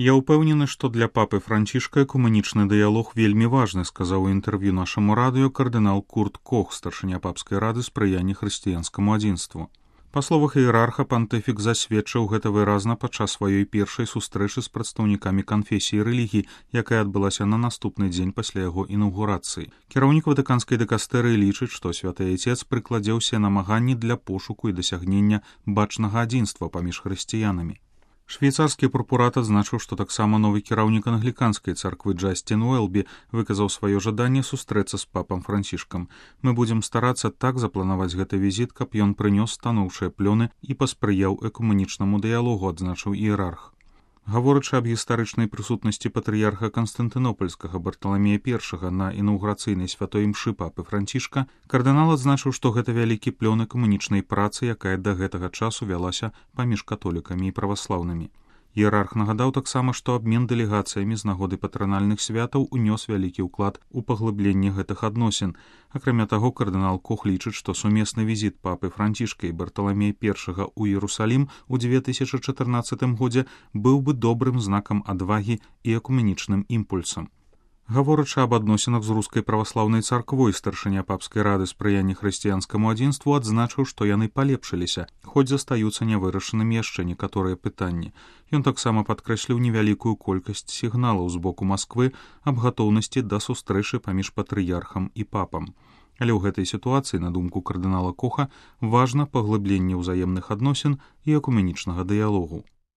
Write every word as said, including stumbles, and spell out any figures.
Я ўпэўнены, што для папы Францішка экумэнічны дыялог вельмі важны, сказаў у інтэрв'ю нашаму радыё кардынал Курт Кох, старшыня папскай рады спрыяння хрысціянскаму адзінству. Па словах іерарха, пантыфік засведчыў гэта выразна падчас сваёй першай сустрэчы з прадстаўнікамі канфесіі рэлігій, якая адбылася на наступны дзень пасля яго інаўгурацыі. Кіраўнік ватыканскай дыкастэрыі лічыць, што святы айцец прыкладзе ўсе намаганні для пошуку і дасягнення бачнага адзінства паміж хрысціянамі. Швейцарскі прокурат адзначыў, што таксама новы кіраўнік англіканскай царквы Джасцін Уэлбі выказаў сваё жаданне сустрэцца з папам Францішкам. Мы будзем старацца так запланаваць гэты візіт, каб ён прынёс станоўчыя плёны і паспрыяў экумэнічнаму дыялогу, адзначыў іерарх. Гаворачы аб гістарычнай прысутнасці патрыярха Канстантынопольскага Барталамея першага на інаўгурацыйнай святой імшы папы Францішка, кардынал адзначыў, што гэта вялікі плён экумэнічнай працы, якая да гэтага часу вялася паміж католікамі і праваслаўнымі. Іерарх нагадаў таксама, што абмен дэлегацыямі з нагоды патранальных святаў унёс вялікі ўклад у паглыбленне гэтых адносін. Акрамя таго, кардынал Кох лічыць, што сумесны візіт папы Францішка і Барталамея першага ў Іерусалім у дзве тысячы чатырнаццатым годзе быў бы добрым знакам адвагі і экумэнічным імпульсам. Гаворачы аб адносінах з рускай праваслаўнай царквой, старшыня папскай рады спрыяння хрысціянскаму адзінству адзначыў, што яны палепшыліся, хоць застаюцца нявырашанымі яшчэ некаторыя пытанні. Ён таксама падкрэсліў невялікую колькасць сігналаў з боку Масквы аб гатоўнасці да сустрэчы паміж патрыярхам і папам. Але ў гэтай сітуацыі, на думку кардынала Коха, важна паглыбленне ўзаемных адносін і экумэнічнага дыялогу.